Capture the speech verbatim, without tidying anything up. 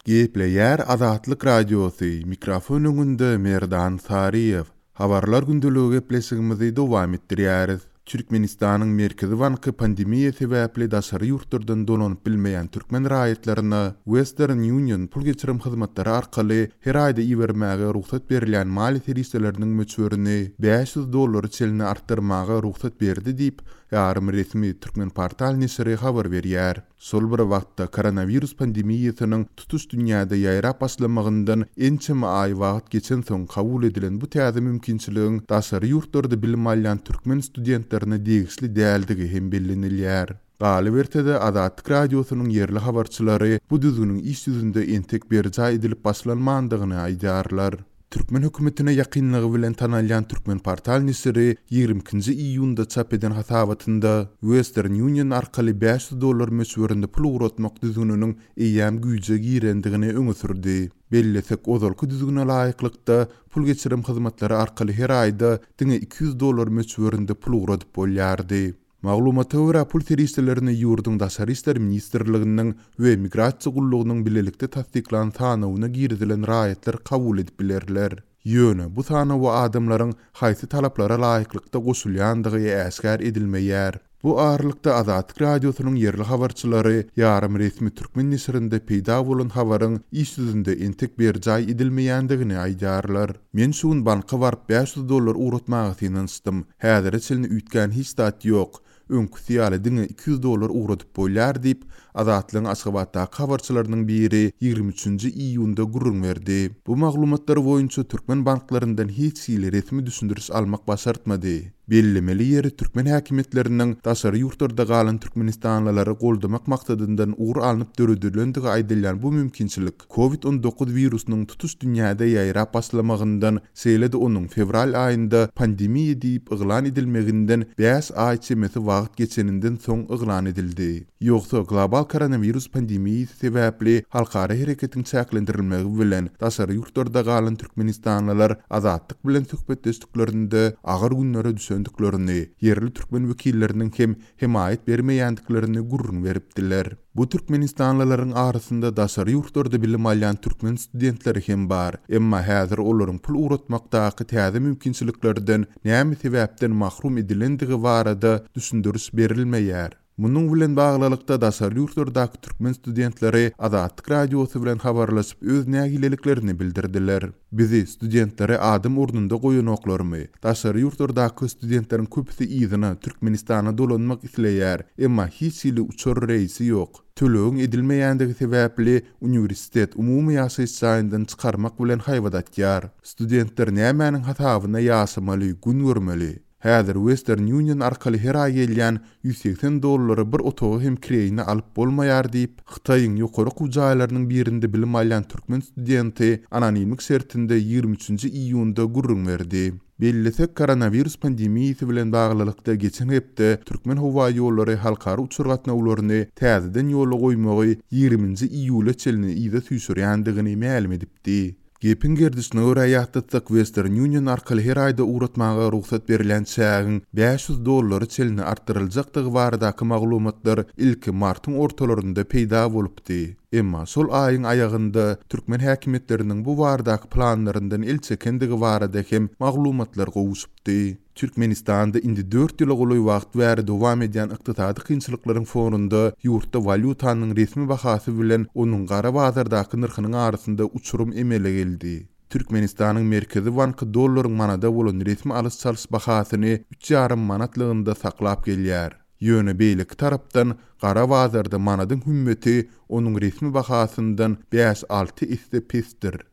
Gepleýär Azatlyk Radiosy, mikrofon öňünde Merdan Saryýew. Habarlar gündeligi gepleşigimizi dowam etdirýäris. Türkmenistanyň Merkezi banky pandemiýa sebäpli daşary ýurtlardan dolanyp bilmeýän türkmen raýatlaryna Western Union pul geçirim hyzmatlary arkaly her aýda ibermäge rugsat berilýän maliýe serişdeleriniň möçberini bäş ýüz dollara çenli artdyrmaga rugsat berdi diýip, ýarym resmi Türkmenportal neşiri habar berýär. Şol bir wagtda koronawirus pandemiýasynyň tutuş dünýäde ýaýrap başlamagyndan ençeme aý wagt geçensoň kabul edilen bu täze mümkinçiligiň daşary ýurtlarda bilim alýan türkmen studentlerine degişli däldigi hem bellenilýär. Galyberse-de, Azatlyk Radiosynyň ýerli habarçylary bu düzgüniň iş ýüzünde entek berjaý edilip başlanmandygyny aýdýarlar. Türkmen hökümetine ýakynlygy bilen tanalýan Türkmenportal neşiri ýigrimi ikinji iýunda çap eden hasabatynda Western Union arkaly bäş ýüz dollar möçberinde pul ugratmak düzgüniniň eýýäm güýje girendigini öňe sürdi. Bellesek, ozalky düzgüne laýyklykda pul geçirim hyzmatlary arkaly her aýda diňe iki ýüz dollar möçberinde pul ugradyp bolýardy. Maglumata görä, pul serişdelerini ýurduň Daşary işler ministrliginiň we Migrasiýa gullugynyň bilelikde tassyklan sanawyna girizilen raýatlar kabul edip bilerler. Ýöne bu sanawa adamlaryň haýsy talaplara laýyklykda goşulýandygy äşgär edilmeýär. Bu aralykda Azatlyk Radiosynyň ýerli habarçylary ýarym resmi türkmen neşirinde peýda bolan habaryň iş ýüzünde entek berjaý edilmeýändigini aýdýarlar. Men şu gün banka baryp bäş ýüz dollar ugratmaga synanyşdym. Häzire çenli üýtgän hiç zat ýok. Öňküsi ýaly diňe iki ýüz dollar ugradyp bolýar diýip, Azatlygyň Aşgabatdaky habarçylarynyň biri ýigrimi üçünji iýunda gürrüň berdi. Bu maglumatlar boýunça türkmen banklaryndan hiç hili resmi düşündiriş almak başartmady. Bellemeli ýeri, türkmen häkimiýetleriniň daşary ýurtlarda galan türkmenistanlylary goldamak maksadyndan ugur alnyp döredilendigi aýdylýan bu mümkinçilik kovid on dokuz wirusynyň tutuş dünýäde ýaýrap başlamagyndan, şeýle-de onuň fewral aýynda pandemiýa diýip yglan edilmeginden bäş aý çemesi wagt geçeninden soň yglan edildi. Ýogsa global koronawirus pandemiýasy sebäpli halkara hereketiň çäklendirilmegi bilen daşary ýurtlarda galan türkmenistanlylar Azatlyk bilen söhbetdeşliklerinde agyr günlere düşendiklerini, ýerli türkmen wekilleriniň hem hemaýat bermeýändiklerini gürrüň beripdiler. Bu türkmenistanlylaryň arasynda daşary ýurtlarda bilim alýan türkmen studentleri hem bar. Emma häzir olaryň pul ugratmakdaky täze mümkinçiliklerden näme sebäpden mahrum edilendigi barada düşündiriş berilmeýär. Munuň bilen baglylykda daşary ýurtlardaky türkmen studentleri Azatlyk Radiosy bilen habarlaşyp öz nägileliklerini bildirdiler. Bizi studentleri adam ornunda goýanoklarmy? Daşary ýurtlardaky studentleriň köpüsi yzyna Türkmenistana dolanmak isleýär, emma hiç hili uçar reýsi ýok. Tölegiň edilmeýändigi sebäpli uniwersitet umumy ýaşaýyş jaýyndan çykarmak bilen haýbat atýar. Studentler nämäniň hasabyna ýaşamaly, gün görmeli? Häzir Western Union arkaly her aý gelýän ýüz segsen dollary bir otagy hem kireýine alyp bolmaýar diýip, Hytaýyň ýokary okuw jaýlarynyň birinde bilim alýan türkmen studenti anonimlik şertinde ýigrimi üçünji iýunda gürrüň berdi. Bellesek, koronawirus pandemiýasy bilen baglylykda geçen hepde Türkmen howa ýollary halkara uçar gatnawlaryny täzeden ýola goýmagy ýigriminji iýula çenli yza süýşürýändigini mälim edipdi. Gepiň gerdişine görä ýatlatsak, Western Union arkaly her aýda ugratmaga rugsat berilýän çägiň bäş ýüz dollary çenli artdyryljakdygy baradaky maglumatlar ilki martyň ortalarynda peýda bolupdy. Emma şol aýyň aýagynda türkmen häkimiýetleriniň bu baradaky planlaryndan el çekendigi barada hem maglumatlar gowuşypdy. Türkmenistanda indi dört ýyla golaý wagt bäri dowam edýän ykdysady kynçylyklaryň fonunda ýurtda walýutanyň resmi bahasy bilen onuň gara bazardaky nyrhynyň arasynda uçurum emele geldi. Türkmenistanyň Merkezi banky dollaryň manada bolan resmi alyş-çalyş bahasyny üç ýarym manatlygynda saklap gelýär. Ýöne beýleki tarapdan gara bazarda manadyň hümmeti onuň resmi bahasyndan bäş-alty esse pesdir.